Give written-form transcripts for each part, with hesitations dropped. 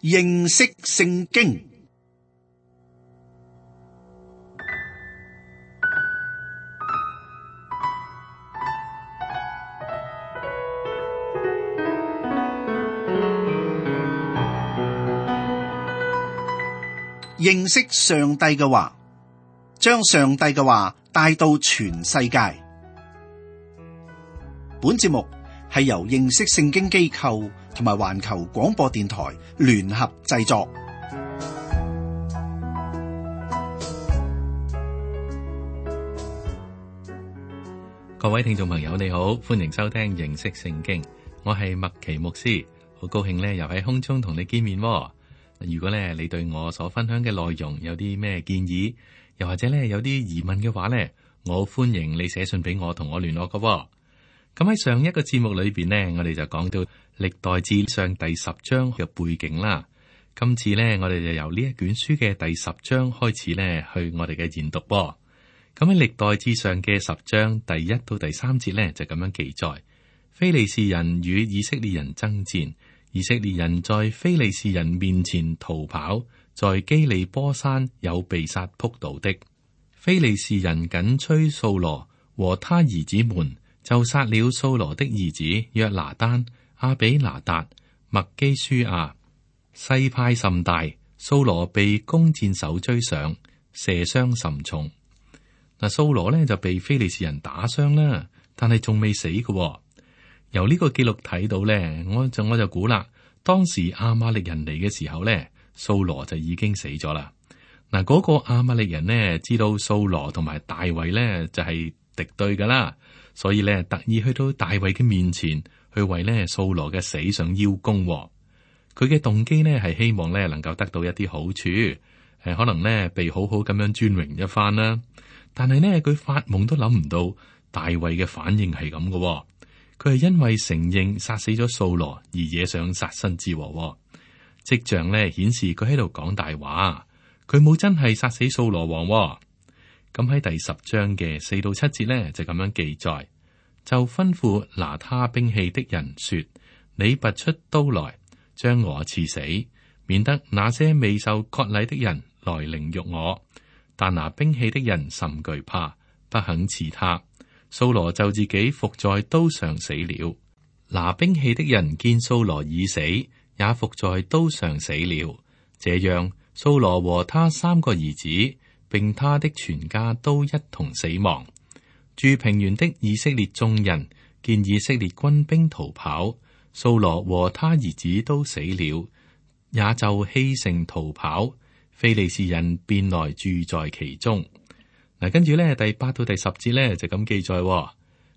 認識聖經。認識上帝嘅話，將上帝嘅話帶到全世界。本節目係由認識聖經機構同埋環球廣播電台聯合製作。各位聽眾朋友，你好，歡迎收聽認識聖經。我係麥奇牧師，好高興咧，又喺空中同你見面。如果咧你對我所分享嘅內容有啲咩建議，又或者咧有啲疑問嘅話咧，我歡迎你寫信俾我，同我聯絡㗎。咁喺上一個節目裏邊呢，我哋就講到歷代志上第10章嘅背景啦。今次呢，我哋就由呢一卷書嘅第10章開始呢，去我哋嘅研讀。咁喺歷代志上嘅10章第1到第3節呢，就咁樣記載：非利士人與以色列人爭戰，以色列人在非利士人面前逃跑，在基利波山有被殺仆倒的。非利士人緊追掃羅和他兒子們，就殺了掃羅的兒子約拿單、亞比拿達、麥基舒亞。勢派甚大，掃羅被弓箭手追上，射傷甚重。嗱，掃羅呢就被非利士人打傷啦，但係仲未死嘅。由呢個記錄睇到呢，我就估啦，當時亞瑪力人嚟嘅時候呢，掃羅就已經死咗啦。嗱，嗰個亞瑪力人呢，知道掃羅同埋大衛呢就係敵對噶啦。所以咧，特意去到大衛嘅面前，去為咧掃羅嘅死上邀功。佢嘅動機呢係希望咧能夠得到一啲好處，可能咧被好好咁樣尊榮一番啦。但係呢，佢發夢都諗唔到大衛嘅反應係咁嘅。佢係因為承認殺死咗掃羅而惹上殺身之禍。跡象咧顯示佢喺度講大話，佢冇真係殺死掃羅王。咁喺第10章嘅4到7節呢，就咁樣記載，就吩咐拿他兵器的人說：你拔出刀來，將我刺死，免得那些未受割禮的人來凌辱我。但拿兵器的人甚懼怕，不肯刺他。掃羅就自己伏在刀上死了。拿兵器的人見掃羅已死，也伏在刀上死了。這樣，掃羅和他3個兒子並他的全家都一同死亡。住平原的以色列眾人見以色列軍兵逃跑，掃羅和他兒子都死了，也就棄城逃跑。非利士人便來住在其中。嗱，跟住咧第8到第10節咧就咁記載：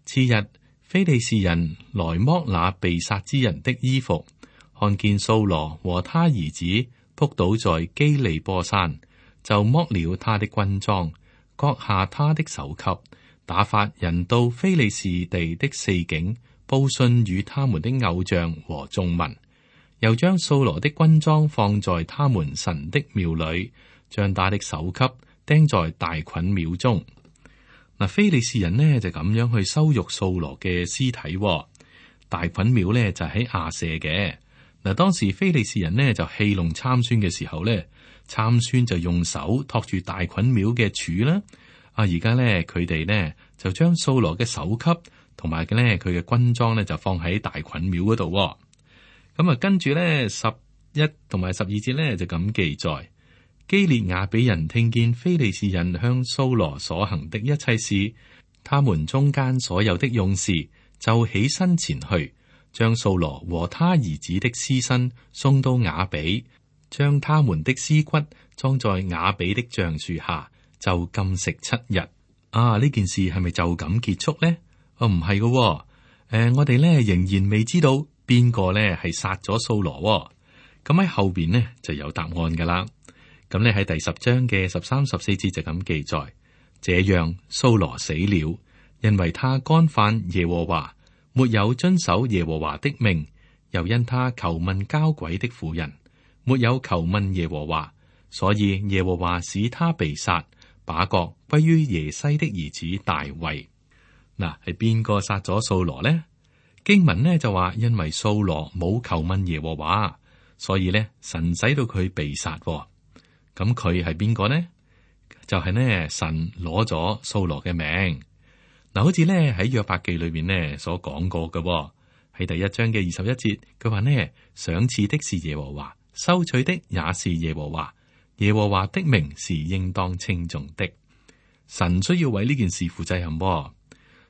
次日，非利士人來剝那被殺之人的衣服，看見掃羅和他兒子仆倒在基利波山，就剝了他的軍裝，割下他的首級，打發人到非利士地的4境，報信與他們的偶像和眾民，又將掃羅的軍裝放在他們神的廟裏，將他的首級釘在大袞廟中。嗱，非利士人呢就咁樣去羞辱掃羅嘅屍體。大袞廟呢就喺亞舍嘅。嗱，當時非利士人呢就戲弄參孫嘅時候呢，參孫就用手托住大袞廟嘅柱啦。而家咧佢哋呢就將掃羅嘅首級同埋嘅咧佢嘅軍裝呢就放喺大袞廟嗰度。咁啊，跟住咧11同埋12節咧就咁記載：基列雅比人聽見非利士人向掃羅所行的一切事，他們中間所有的勇士就起身前去，將掃羅和他兒子的屍身送到雅比，將他們的屍骨裝在雅比的橡樹下，就禁食7日。呢件事係咪就咁結束呢？唔係嘅。我哋咧仍然未知道邊個咧係殺咗掃羅。咁喺後邊呢就有答案噶啦。咁咧喺第10章嘅13、14節就咁記載：這樣掃羅死了，因為他干犯耶和華，沒有遵守耶和華的命，又因他求問交鬼的婦人，沒有求問耶和華，所以耶和華使他被殺，把國歸於耶西的兒子大衛。嗱，係邊個殺咗掃羅呢？經文呢就話，因為掃羅冇求問耶和華，所以咧神使到佢被殺。咁佢係邊個呢？就係呢神攞咗掃羅嘅命。嗱，好似咧喺約伯記裏邊呢所講過嘅，喺第1章嘅21節，佢話呢賞賜的是耶和華，收取的也是耶和華，耶和華的名是應當稱頌的。神需要為呢件事負責任。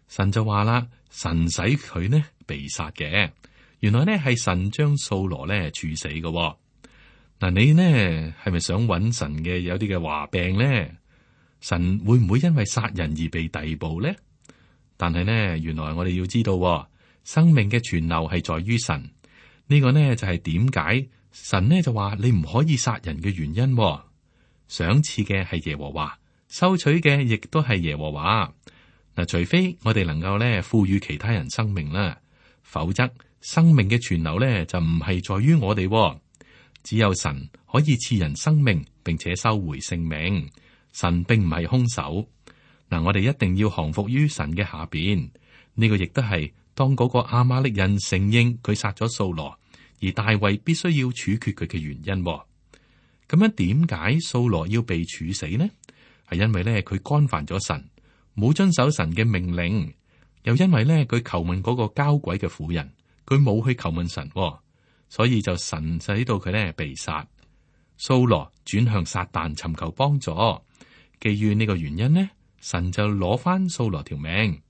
神就話啦，神使佢呢被殺嘅，原來呢係神將掃羅呢處死嘅。嗱，你呢係咪想揾神嘅有啲嘅話病呢？神會唔會因為殺人而被逮捕呢？但係呢，原來我哋要知道，生命嘅存留係在於神。呢個呢就係點解神呢就話你唔可以殺人嘅原因。賞賜嘅係耶和華，收取嘅亦都係耶和華。嗱，除非我哋能夠呢賦予其他人生命啦，否則生命嘅存留呢就唔係在於我哋。只有神可以賜人生命，並且收回性命。神並唔係兇手。嗱，我哋一定要降服於神嘅下邊。呢個亦都係當嗰個亞瑪力人承認佢殺咗掃羅，而大衛必須要處決佢嘅原因。咁樣點解掃羅要被處死呢？係因為咧佢干犯咗神，冇遵守神嘅命令，又因為咧佢求問嗰個交鬼嘅婦人，佢冇去求問神。所以就神使到佢咧被殺。掃羅轉向撒旦尋求幫助，基於呢個原因呢，神就攞翻掃羅條命。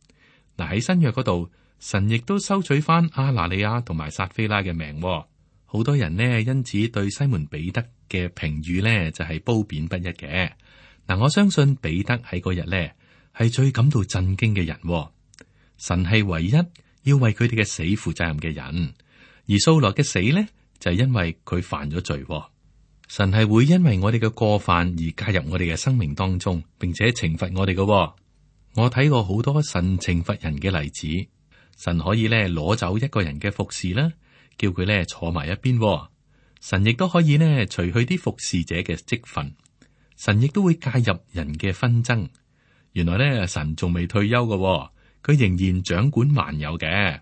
嗱，喺新約嗰度，神亦都收取翻亞拿尼亞同埋撒非拉嘅命。好多人呢因此對西門彼得嘅評語呢就係褒貶不一嘅。嗱，我相信彼得喺嗰日呢係最感到震驚嘅人。神係唯一要為佢哋嘅死負責任嘅人。而掃羅嘅死呢，就係因為佢犯咗罪。神係會因為我哋嘅過犯而介入我哋嘅生命當中，並且懲罰我哋嘅。我睇過好多神懲罰人嘅例子，神可以咧攞走一個人嘅服侍啦，叫佢咧坐埋一邊。神亦都可以咧除去啲服侍者嘅職分，神亦都會介入人嘅紛爭。原來咧神仲未退休嘅，佢仍然掌管萬有嘅。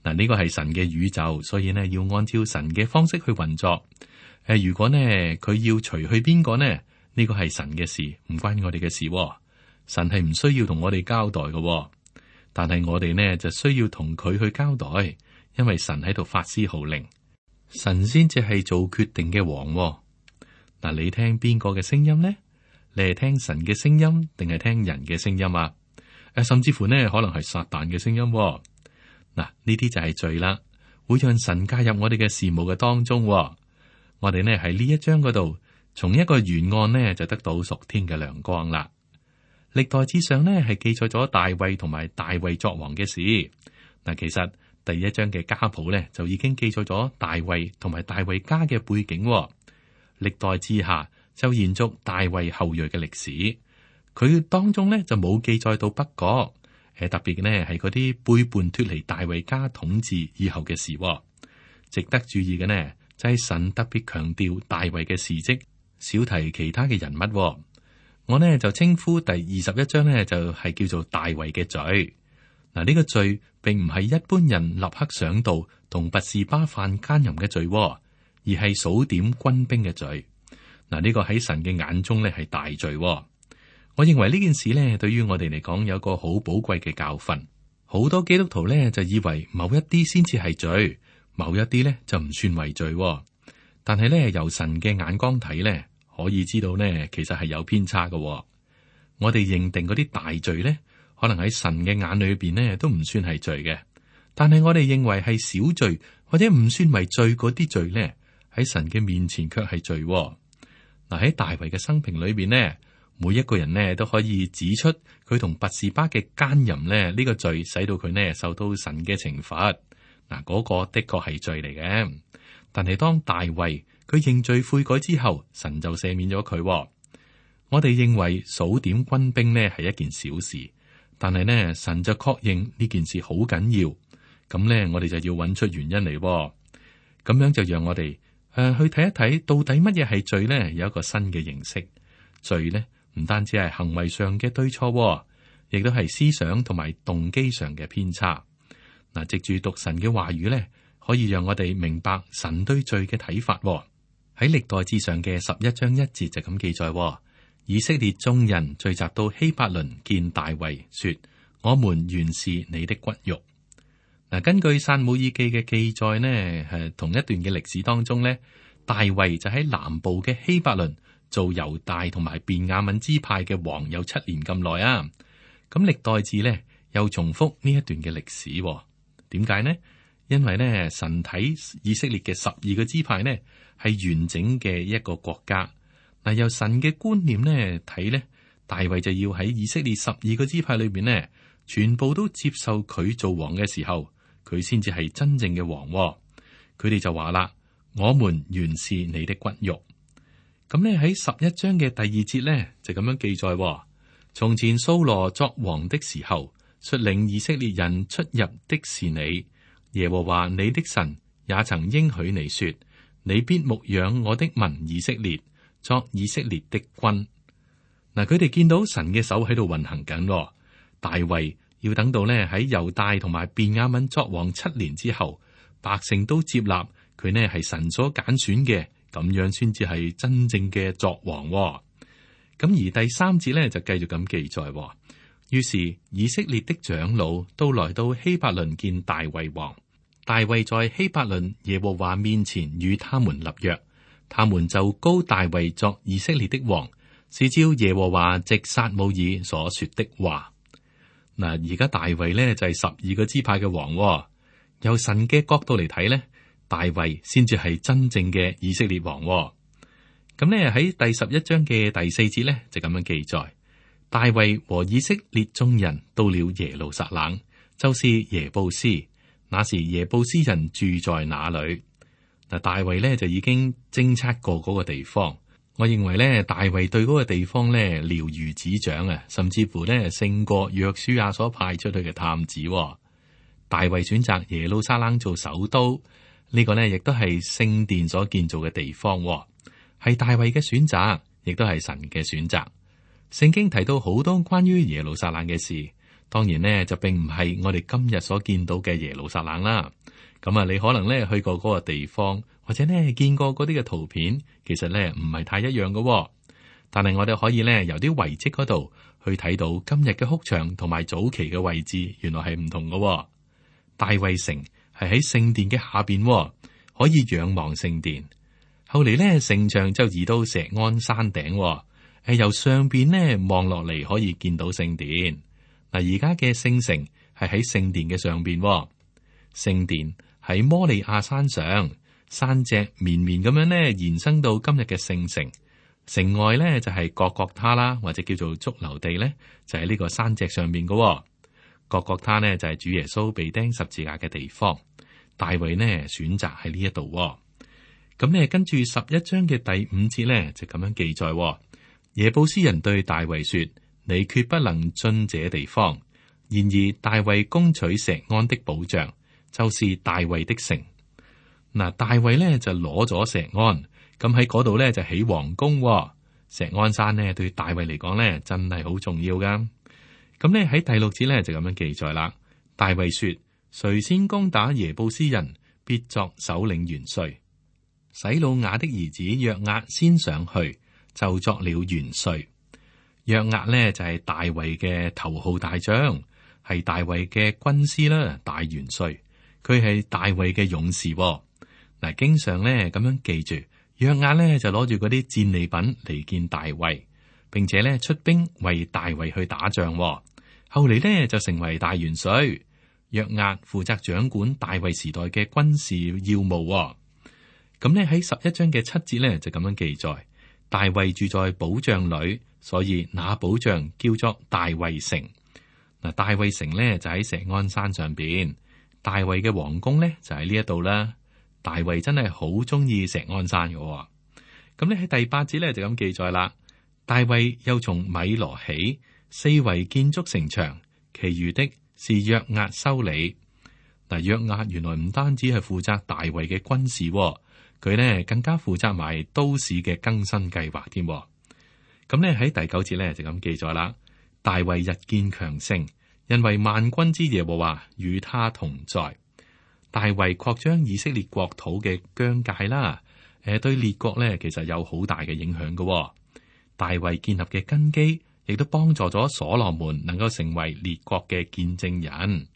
嗱，呢個係神嘅宇宙，所以呢要按照神嘅方式去運作。如果呢佢要除去邊個呢？呢個係神嘅事，唔關我哋嘅事。神係唔需要同我哋交代嘅，但係我哋呢就需要同佢去交代，因為神喺度發施號令，神先至係做決定嘅王。嗱，你聽邊個嘅聲音呢？你係聽神嘅聲音，定係聽人嘅聲音啊？甚至乎呢可能係撒旦嘅聲音。嗱，呢啲就係罪啦，會讓神介入我哋嘅事務嘅當中。我哋呢喺呢一章嗰度，從一個原案呢就得到屬天嘅亮光啦。歷代志上呢係記載咗大衛同埋大衛作王嘅事。嗱，其實第一章嘅家譜呢就已經記載咗大衛同埋大衛家嘅背景。歷代志下就延續大衛後裔嘅歷史，佢當中呢就冇記載到北國。特別呢係嗰啲背叛脫離大衛家統治以後嘅事。值得注意嘅呢就係神特別強調大衛嘅事蹟，少提其他嘅人物。我呢就稱呼第21章呢就係叫做大衛嘅罪。嗱，呢個罪並唔係一般人立刻想到同拔示巴犯奸淫嘅罪，而係數點軍兵嘅罪。嗱，呢個喺神嘅眼中呢係大罪。我認為呢件事呢對於我哋嚟講有個好寶貴嘅教訓。好多基督徒呢就以為某一啲先至係罪，某一啲呢就唔算為罪。但係呢由神嘅眼光睇呢，可以知道呢其實係有偏差嘅。我哋認定嗰啲大罪呢，可能喺神嘅眼裏邊呢都唔算係罪嘅。但係我哋認為係小罪或者唔算為罪嗰啲罪呢，喺神嘅面前卻係罪。嗱，喺大衛嘅生平裏邊呢，每一個人呢都可以指出佢同拔示巴嘅奸淫呢個罪，使到佢呢受到神嘅懲罰。嗱，嗰個的確係罪嚟嘅。但係當大衛佢認罪悔改之後，神就赦免咗佢。我哋認為數點軍兵呢係一件小事，但係呢神就確認呢件事好緊要。咁呢我哋就要揾出原因嚟。咁樣就讓我哋去睇一睇到底乜嘢係罪呢？有一個新嘅認識。罪呢唔單止係行為上嘅對錯，亦都係思想同埋動機上嘅偏差。嗱，藉住讀神嘅話語呢，可以讓我哋明白神對罪嘅睇法。喺歷代志上嘅11章1節就咁記載，以色列眾人聚集到希伯倫見大衛，說：我們原是你的骨肉。嗱，根據撒母耳記嘅記載呢，係同一段嘅歷史當中呢，大衛就喺南部嘅希伯倫做猶大同埋便雅憫支派嘅王有7年咁耐啊。咁歷代志呢又重複呢一段嘅歷史，點解呢？因為呢，神睇以色列嘅12個支派呢係完整嘅一個國家。嗱，由神嘅觀念呢睇呢，大衛就要喺以色列12個支派裏邊呢，全部都接受佢做王嘅時候，佢先至係真正嘅王。佢哋就話啦：我們原是你的骨肉。咁呢喺11章嘅第2節呢，就咁樣記載：從前掃羅作王的時候，率領以色列人出入的是你。耶和華你的神也曾應許你說：你必牧養我的民以色列，作以色列的君。嗱，佢哋見到神嘅手喺度運行緊。大衛要等到呢喺猶大同埋便雅憫作王7年之後，百姓都接納佢呢係神所揀選嘅，咁樣先至係真正嘅作王。咁而第3節呢，就繼續咁記載。於是以色列的長老都來到希伯倫見大衛王。大衛在希伯倫耶和華面前與他們立約，他們就膏大衛作以色列的王，是照耶和華藉撒母耳所說的話。嗱，而家大衛呢就係12個支派嘅王。由神嘅角度嚟睇呢，大衛先至係真正嘅以色列王。咁呢喺第11章嘅第4節呢，就咁樣記載。大衛和以色列眾人到了耶路撒冷，就是耶布斯。那時耶布斯人住在那裏。嗱，大衛呢就已經偵察過嗰個地方。我認為呢，大衛對嗰個地方呢了如指掌啊，甚至乎呢勝過約書亞所派出去嘅探子。大衛選擇耶路撒冷做首都，呢個呢亦都係聖殿所建造嘅地方，係大衛嘅選擇，亦都係神嘅選擇。聖經提到好多關於耶路撒冷嘅事，當然呢就並唔係我哋今日所見到嘅耶路撒冷啦。咁啊，你可能呢去過嗰個地方，或者呢見過嗰啲嘅圖片，其實呢唔係太一樣嘅。但係我哋可以呢由啲遺跡嗰度去睇到今日嘅哭牆同埋早期嘅位置，原來係唔同嘅。大衛城係喺聖殿嘅下邊，可以仰望聖殿。後嚟呢城牆就移到錫安山頂。由上邊呢望落嚟可以見到聖殿。嗱，而家嘅聖城係喺聖殿嘅上邊，聖殿喺摩利亞山上，山脊綿綿咁樣呢延伸到今日嘅聖城。城外呢就係各各他啦，或者叫做髑髏地呢，就喺呢個山脊上邊嘅。各各他呢就係主耶穌被釘十字架嘅地方。大衛呢選擇喺呢一度。咁呢跟住11章嘅第5節呢就咁樣記載。耶布斯人對大衛說：你決不能進這地方。然而大衛攻取錫安的保障，就是大衛的城。嗱，大衛呢就攞咗錫安，咁喺嗰度呢就起王宮。錫安山呢對大衛嚟講呢真係好重要噶。咁呢喺第6節呢就咁樣記載啦。大衛說：誰先攻打耶布斯人，必作首領元帥。洗魯雅的兒子約押先上去，就作了元帥。約押呢就係大衛嘅頭號大將，係大衛嘅軍師啦，大元帥。佢係大衛嘅勇士。嗱，經常呢咁樣記住，約押呢就攞住嗰啲戰利品嚟見大衛，並且呢出兵為大衛去打仗。後嚟呢就成為大元帥。約押負責掌管大衛時代嘅軍事要務。咁呢喺11章嘅7節呢就咁樣記載。大衛住在保障裏，所以那保障叫做大衛城。嗱，大衛城呢就喺錫安山上邊，大衛嘅皇宮呢就喺呢一度啦。大衛真係好中意錫安山嘅。咁呢喺第8節呢就咁記載啦。大衛又從米羅起，四圍建築城牆，其餘的是約押修理。嗱，約押原來唔單止係負責大衛嘅軍事，佢呢更加負責埋都市嘅更新計劃添。咁呢喺第9節呢就咁記載啦。大衛日見強盛，因為萬軍之耶和華與他同在。大衛擴張以色列國土嘅疆界啦，對列國咧其實有好大嘅影響嘅。大衛建立嘅根基，亦都幫助咗所羅門能夠成為列國嘅見證人。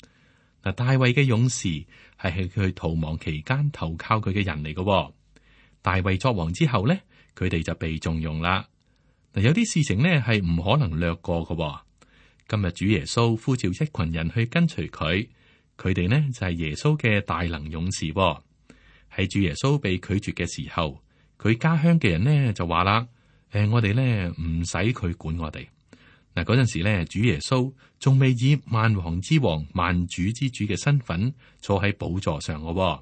嗱，大衛嘅勇士係喺佢逃亡期間投靠佢嘅人嚟嘅。大衛作王之後咧，佢哋就被重用啦。嗱，有啲事情呢係唔可能略過嘅。今日主耶穌呼召一群人去跟隨佢，佢哋呢就係耶穌嘅大能勇士。喺主耶穌被拒絕嘅時候，佢家鄉嘅人呢就話啦：我哋呢唔使佢管我哋。嗱，嗰陣時咧，主耶穌仲未以萬王之王、萬主之主嘅身份坐喺寶座上嘅。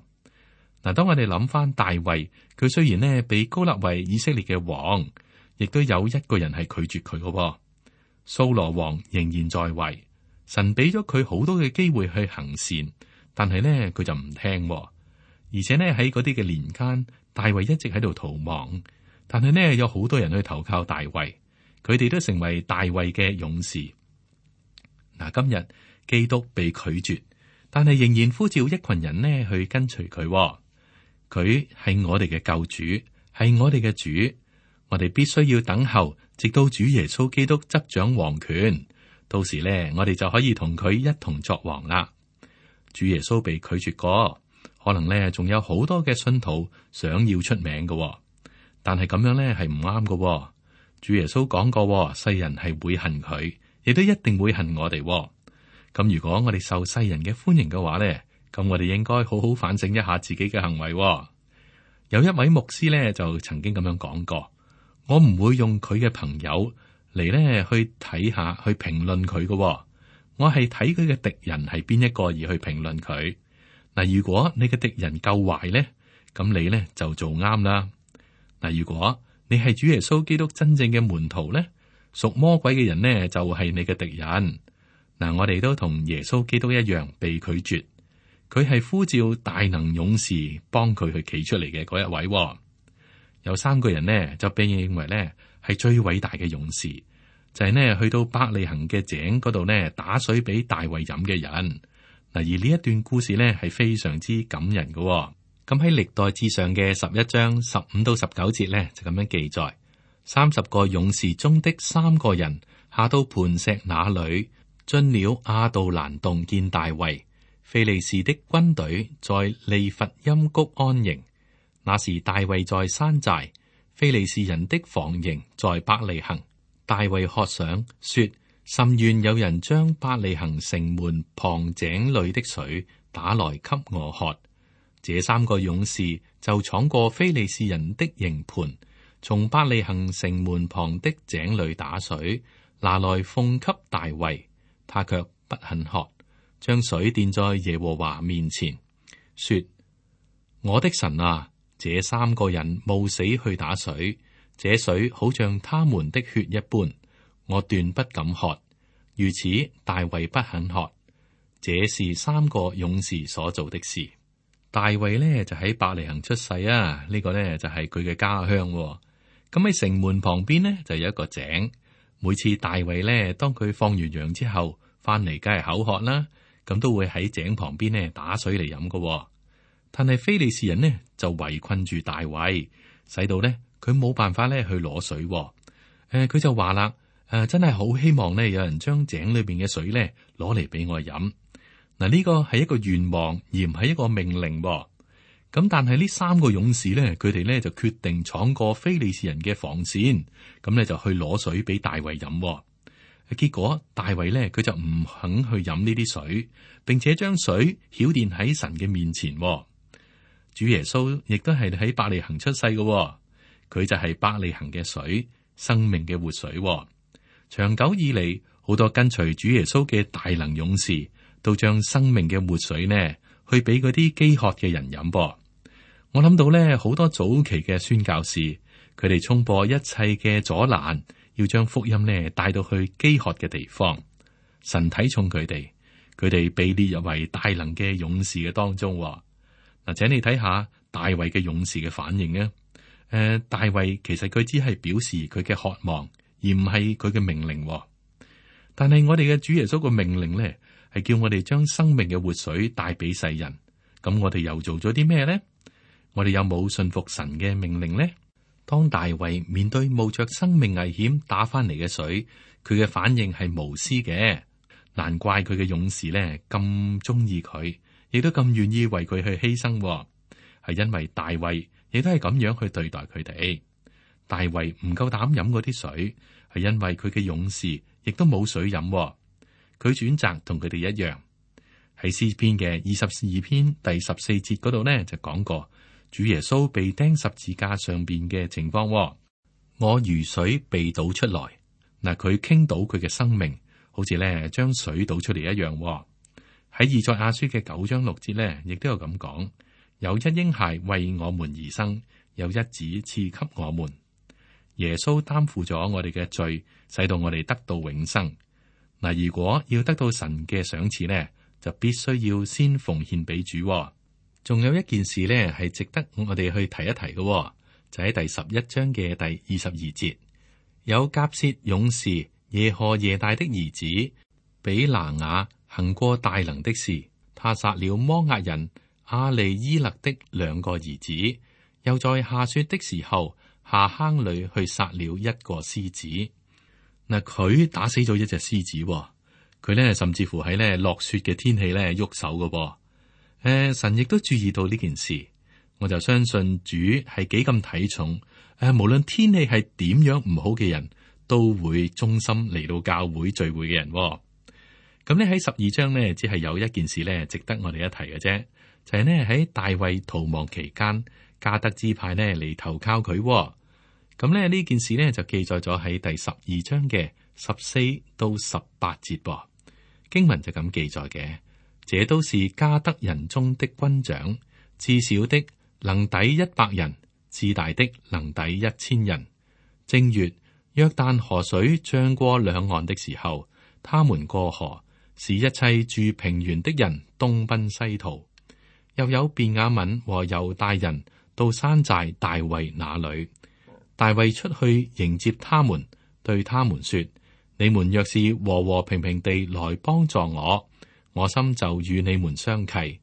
嗱，當我哋諗翻大衛，佢雖然呢被膏立為以色列嘅王，亦都有一個人係拒絕佢嘅。掃羅王仍然在位，神俾咗佢好多嘅機會去行善，但係呢，佢就唔聽。而且呢，喺嗰啲嘅年間，大衛一直喺度逃亡，但係呢，有好多人去投靠大衛。佢哋都成為大衛嘅勇士。嗱，今日基督被拒絕，但係仍然呼召一群人呢去跟隨佢。佢係我哋嘅救主，係我哋嘅主。我哋必須要等候，直到主耶穌基督執掌王權。到時呢，我哋就可以同佢一同作王啦。主耶穌被拒絕過，可能呢仲有好多嘅信徒想要出名嘅，但係咁樣呢係唔啱嘅。主耶穌講過，世人係會恨佢，亦都一定會恨我哋。咁如果我哋受世人嘅歡迎嘅話咧，咁我哋應該好好反省一下自己嘅行為。有一位牧師咧就曾經咁樣講過：我唔會用佢嘅朋友嚟咧去睇下去評論佢嘅，我係睇佢嘅敵人係邊一個而去評論佢。嗱，如果你嘅敵人夠壞咧，咁你咧就做啱啦。嗱，如果你係主耶穌基督真正嘅門徒咧，屬魔鬼嘅人呢就係你嘅敵人。嗱，我哋都同耶穌基督一樣被拒絕，佢係呼召大能勇士幫佢去企出嚟嘅嗰一位。有3個人呢就被認為呢係最偉大嘅勇士，就係呢去到伯利恆嘅井嗰度呢打水俾大衛飲嘅人。嗱，而呢一段故事呢係非常之感人嘅。咁喺歷代志上嘅11章15到19節咧，就咁樣記載：30個勇士中的3個人下到磐石那裏，進了亞杜蘭洞見大衛。非利士的軍隊在利弗音谷安營，那時大衛在山寨，非利士人的防營在伯利恆。大衛渴想說：甚願有人將伯利恆城門旁井裏的水打來給我喝。這3個勇士就闖過非利士人的營盤，從伯利恆城門旁的井裏打水，拿來奉給大衛，他卻不肯喝，將水奠在耶和華面前，說：我的神啊，這3個人冒死去打水，這水好像他們的血一般，我斷不敢喝。如此，大衛不肯喝。這是3個勇士所做的事。大衛呢就喺伯利恆出世啊，呢個呢就係佢嘅家鄉。咁喺城門旁邊呢就有一個井，每次大衛呢當佢放完羊之後翻嚟，梗係口渴啦，咁都會喺井旁邊呢打水嚟飲噶。但係非利士人呢就圍困住大衛，使到呢佢冇辦法呢去攞水。佢就話啦：真係好希望呢有人將井裏邊嘅水呢攞嚟俾我飲。嗱，呢個係一個願望，而唔係一個命令。咁但係呢3個勇士咧，佢哋咧就決定闖過非利士人嘅防線，咁咧就去攞水俾大衛飲。結果大衛咧佢就唔肯去飲呢啲水，並且將水澆奠喺神嘅面前。主耶穌亦都係喺伯利恆出世嘅，佢就係伯利恆嘅水，生命嘅活水。長久以嚟，好多跟隨主耶穌嘅大能勇士，都將生命嘅活水呢，去俾嗰啲飢渴嘅人飲噃。我諗到咧，好多早期嘅宣教士，佢哋衝破一切嘅阻攔，要將福音呢帶到去飢渴嘅地方。神睇重佢哋，佢哋被列入為大能嘅勇士嘅當中。嗱，請你睇下大衛嘅勇士嘅反應啊。大衛其實佢只係表示佢嘅渴望，而唔係佢嘅命令。但係我哋嘅主耶穌嘅命令呢，係叫我哋將生命嘅活水帶俾世人，咁我哋又做咗啲咩呢？我哋有冇信服神嘅命令呢？當大衛面對冒着生命危險打翻嚟嘅水，佢嘅反應係無私嘅，難怪佢嘅勇士呢咁中意佢，亦都咁願意為佢去犧牲，係因為大衛亦都係咁樣去對待佢哋。大衛唔夠膽飲嗰啲水，係因為佢嘅勇士亦都冇水飲，佢選擇同佢哋一樣。喺詩篇嘅22篇第14節嗰度呢，就講過主耶穌被釘十字架上邊嘅情況。我如水被倒出來，嗱，佢傾倒佢嘅生命，好似咧將水倒出嚟一樣。喺以賽亞書嘅9章6節呢，亦都有咁講：有一嬰孩為我們而生，有一子賜給我們。耶穌擔負咗我哋嘅罪，使到我哋得到永生。嗱，如果要得到神嘅賞賜呢，就必須要先奉獻俾主。仲有一件事呢，係值得我哋去提一提嘅，就喺第11章嘅第22節，有甲薛勇士耶何耶大的兒子比拿雅行過大能的事，他殺了摩押人亞利伊勒的2個兒子，又在下雪的時候下坑裏去殺了一個獅子。嗱，佢打死咗一隻獅子，佢呢甚至乎喺呢落雪嘅天氣呢喐手嘅噃。神亦都注意到呢件事，我就相信主係幾咁睇重無論天氣係點樣唔好嘅人，都會忠心嚟到教會聚會嘅人。咁呢喺12章呢，只係有一件事呢值得我哋一提嘅啫，就係呢喺大衛逃亡期間，迦得支派呢嚟投靠佢。咁呢呢件事呢，就記載咗喺第12章嘅14到18節噃。經文就咁記載嘅，這都是迦得人中的軍長，至小的能抵100人，至大的能抵1000人。正月，約旦河水漲過兩岸的時候，他們過河，使一切住平原的人東奔西逃。又有便雅憫和猶大人到山寨大衛那裏。大衛出去迎接他們，對他們說：你們若是和和平平地來幫助我，我心就與你們相契；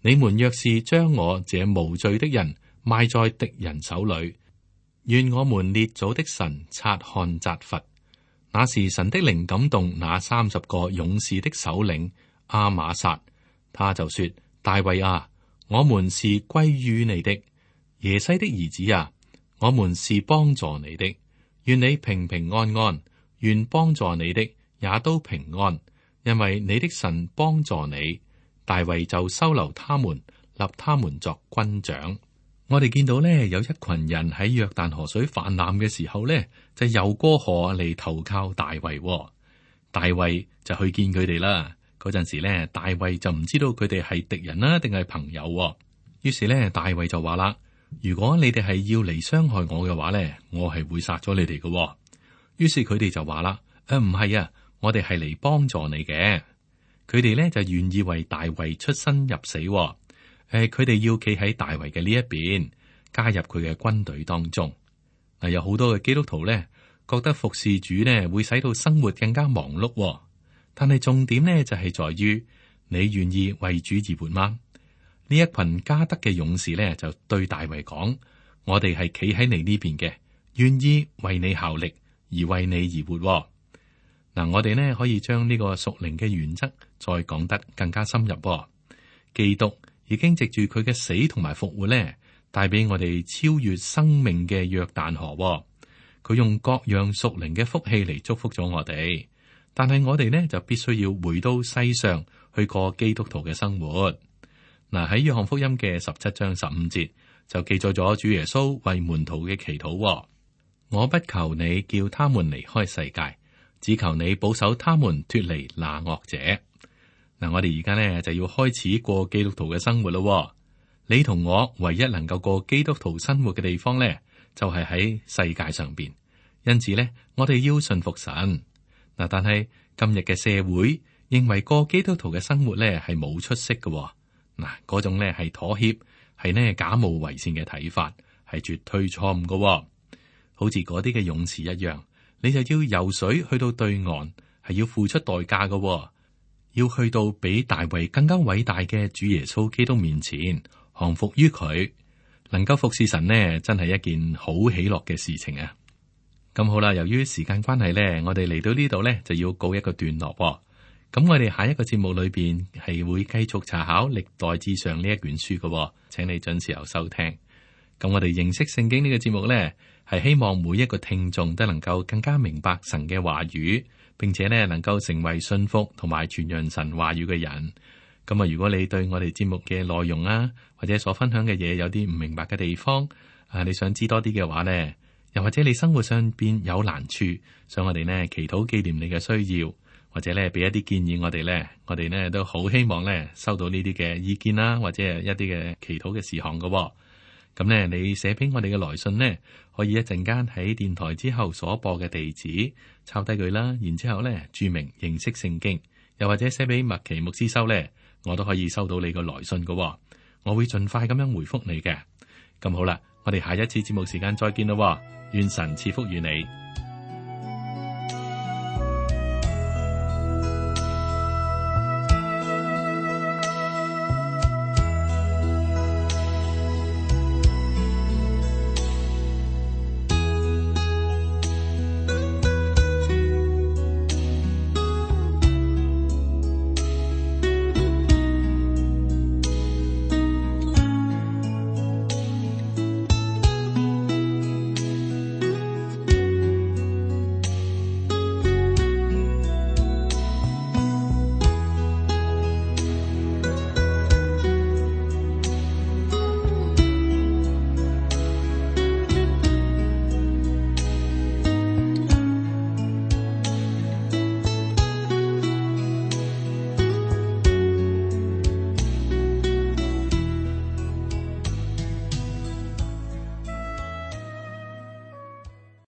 你們若是將我這無罪的人賣在敵人手裏，願我們列祖的神察看責罰。那時神的靈感動那30個勇士的首領亞瑪撒，他就說：大衛啊，我們是歸於你的；耶西的兒子啊，我們是幫助你的。願你平平安安，願幫助你的也都平安，因為你的神幫助你。大衛就收留他們，立他們作軍長。我哋見到呢，有一群人喺約旦河水泛濫嘅時候呢，就游過河嚟投靠大衛。大衛就去見佢哋啦。嗰陣時呢，大衛就唔知道佢哋係敵人啦，定係朋友。於是呢，大衛就話啦：如果你哋係要嚟傷害我嘅話呢，我係會殺咗你哋嘅。於是佢哋就話啦：唔係啊，我哋係嚟幫助你嘅。佢哋呢就願意為大衛出生入死。佢哋要企喺大衛嘅呢一邊，加入佢嘅軍隊當中。有好多嘅基督徒呢，覺得服侍主呢會使到生活更加忙碌。但係重點呢就係在於你願意為主而活嗎？呢一群迦得嘅勇士呢，就對大衛講：我哋係企喺你呢邊嘅，願意為你效力，而為你而活。我哋呢可以將呢個屬靈嘅原則再講得更加深入。基督已經藉住佢嘅死同埋復活呢，帶俾我哋超越生命嘅約旦河。佢用各樣屬靈嘅福氣嚟祝福咗我哋，但係我哋呢就必須要回到世上去過基督徒嘅生活。喺約翰福音嘅17章15節就記載咗主耶穌為門徒嘅祈禱：我不求你叫他們離開世界，只求你保守他們脫離那惡者。我哋而家呢就要開始過基督徒嘅生活咯。你同我唯一能夠過基督徒生活嘅地方呢，就係喺世界上邊。因此呢，我哋要順服神。但係今日嘅社會認為過基督徒嘅生活呢係冇出息嘅。嗰種呢係妥協，係呢假冒為善嘅睇法，係絕對錯誤嘅。好似嗰啲嘅勇士一樣，你就要游水去到對岸，係要付出代價嘅。要去到比大衛更加偉大嘅主耶穌基督面前，降服於佢，能夠服侍神呢，真係一件好喜樂嘅事情啊！咁好啦，由於時間關係呢，我哋嚟到呢度呢，就要告一個段落喎。咁我哋下一個節目裏邊係會繼續查考歷代志上呢一卷書嘅喎，請你準時收聽。咁我哋認識聖經呢個節目呢，係希望每一個聽眾都能夠更加明白神嘅話語，並且呢能夠成為信服同埋傳揚神話語嘅人。咁啊，如果你對我哋節目嘅內容啊，或者所分享嘅嘢有啲唔明白嘅地方啊，你想知多啲嘅話呢，又或者你生活上邊有難處，想我哋呢祈禱紀念你嘅需要，或者咧俾一啲建議我哋呢都好希望呢收到呢啲嘅意見啦，或者係一啲嘅祈禱嘅事項嘅。咁呢，你寫俾我哋嘅來信呢，可以一陣間喺電台之後所播嘅地址抄低佢啦，然之後呢注明認識聖經，又或者寫俾麥奇牧師收呢，我都可以收到你個來信嘅。我會盡快咁樣回覆你嘅。咁好啦，我哋下一次節目時間再見咯。願神賜福於你。